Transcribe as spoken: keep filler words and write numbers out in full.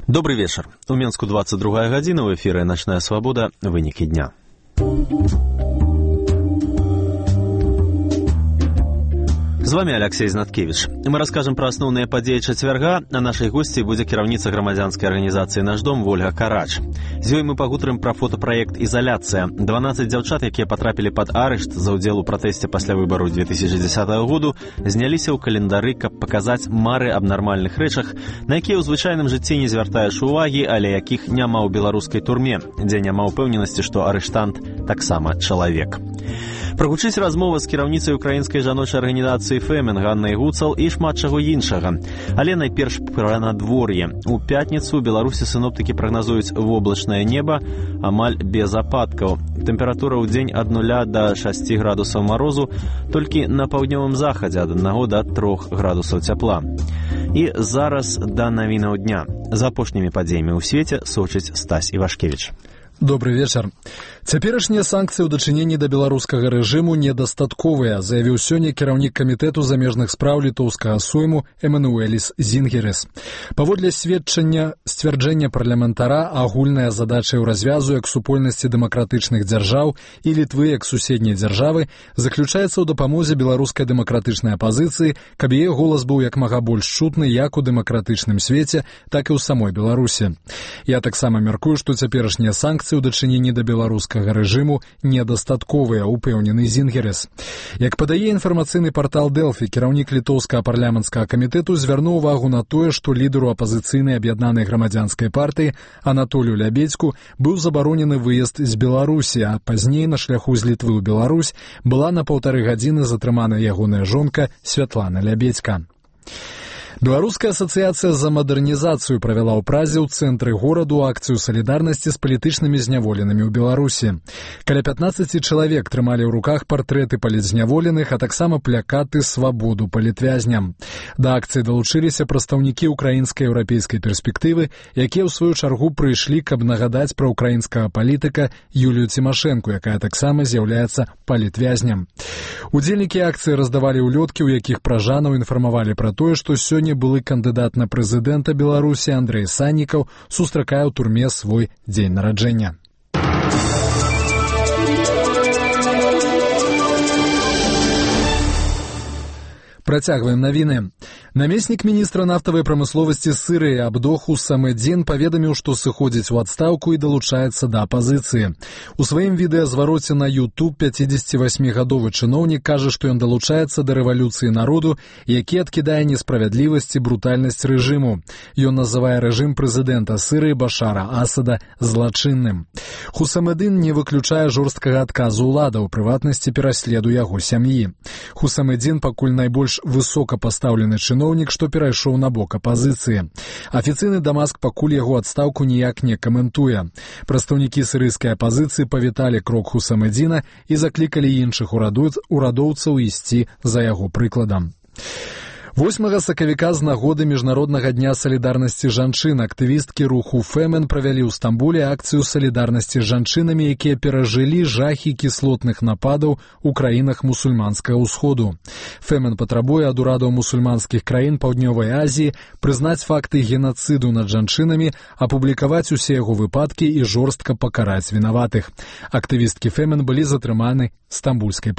Добрый вечер. У Менску двадцать другая гадзіна, в эфире «Ночная свобода», вынікі дня. З вами Алексей Знаткевич. Мы расскажем про основные подеи четверга, а нашей гостьей будет кіраўніца громадянской организации «Наш дом» Ольга Карач. З ёй мы пагутарым про фотопроект «Изоляция». дванаццаць дзяўчат, якія потрапили под арешт за удзел у пратэсце пасля выбораў две тысячи десятого году, зняліся ў календары, каб показаць мары аб нармальных рэчах, на якія ў звычайным жыцці не звяртаеш увагі, але якіх няма ў беларускай турме, дзе няма ўпэўненасці, што арыштант таксама чалавек. Прагучыць размова з кіраўніцай украінскай жаночай арганізацыі «Фемен» Ганнай Гуцал і шмат чаго іншага. Але найперш пра надвор'е. У пятніцу ў Беларусі сіноптыкі прагназуюць воблачнае неба амаль без ападкаў. Тэмпература ў дзень ад нуля да шасці градусаў марозу, толькі на паўднёвым захадзе ад аднаго да трох градусаў цяпла. І зараз да навінаў дня. За апошнімі падзеямі ў свеце сочыць Стась Івашкевіч. Добрый вечер. Цяперашнія санкцыі ў дачыненні да беларускага рэжыму недастатковыя, заявіў сёння кіраўнік камітэту замежных спраў літоўскага сойму Эмануэліс Зінгерес. Паводле сведчання сцвярджэння парламентара, агульная задача ў развязу як супольнасці дэмакратычных дзяржаў і Літвы як суседняй дзяржавы заключаецца ў дапамозе беларускай дэмакратычнай апазіцыі, каб яе голас быў як мага больш чутны як у дэмакратычным свеце, так і ў самой Беларусі. Я таксама мяркую, што цяперашнія санкцыі ў дачыненні да беларускага рэжыму недастатковыя, упэўнены Зінгерес. Як падае інфармацыйны партал Дэлфі, кіраўнік літоўскага парламенцкага камітэту звярнуў увагу на тое, што лідару апазіцыйнай аб'яднанай грамадзянскай партыі Анатолію Лябедзьку быў забаронены выезд з Беларусі, а пазней на шляху з Літвы ў Беларусь была на паўтары гадзіны затрымана ягоная жонка Святлана Лябедзька. Беларуская асацыяцыя за мадэрнізацыю правяла ў Празе ў цэнтры гораду акцыю салідарнасці з палітычнымі зняволенымі ў Беларусі. Каля пятнаццаці чалавек трымалі ў руках партрэты палітзняволеных, а таксама плякаты «Свабоду палітвязням». Да акцыі далучыліся прадстаўнікі украінскай еўрапейскай перспектывы, якія ў сваю чаргу прыйшлі, каб нагадаць пра украінскага палітыка Юлію Цімашэнку, якая таксама з'яўляецца палітвязням. Удзельнікі акцыі раздавалі ўлёткі, у якіх пражанаў інфармавалі пра тое, што сёння былы кандыдат на прэзідэнта Беларусі Андрэй Саннікаў сустракае ў турме свой дзень нараджэння. Працягваем навіны. Намеснік міністра нафтавай прамысловасці Сырыі Абдох Хусамэдзін паведаміў, што сыходзіць у адстаўку і далучаецца да апазіцыі. У сваім відэазвароце на YouTube пяцідзесяцівасьмігадовы чыноўнік кажа, што ён далучаецца да рэвалюцыі народу, які адкідае несправядлівасць і брутальнасць рэжыму. Ён называе рэжым прэзідэнта Сырыі Башара Асада злачынным. Хусамэдзін не выключае жорсткага адказу ўлада, у прыватнасці пераследу яго сям'і. Хусамэдзін пакуль найбольш высокапастаўлены чыноўнік, што перайшоў на бок апазіцыі. Афіцыйны Дамаск пакуль яго адстаўку ніяк не каментуе. Прадстаўнікі сірыйскай апазіцыі павіталі крок Хусамэдзіна і заклікалі іншых урадоўцаў ісці за яго прыкладам. восьмага сакавіка з нагоды міжнароднага дня салідарнасці жанчын актывісткі руху «Фемен» правялі ў Стамбуле акцыю салідарнасці з жанчынамі, якія перажылі жахі кіслотных нападаў у краінах мусульманскага ўсходу. «Фемен» патрабуе ад урадаў мусульманскіх краін Паўднёвай Азіі прызнаць факты генацыду над жанчынамі, апублікаваць усе яго выпадкі і жорстка пакараць вінаватых. Актывісткі «Фемен» былі затрыманы стамбульскай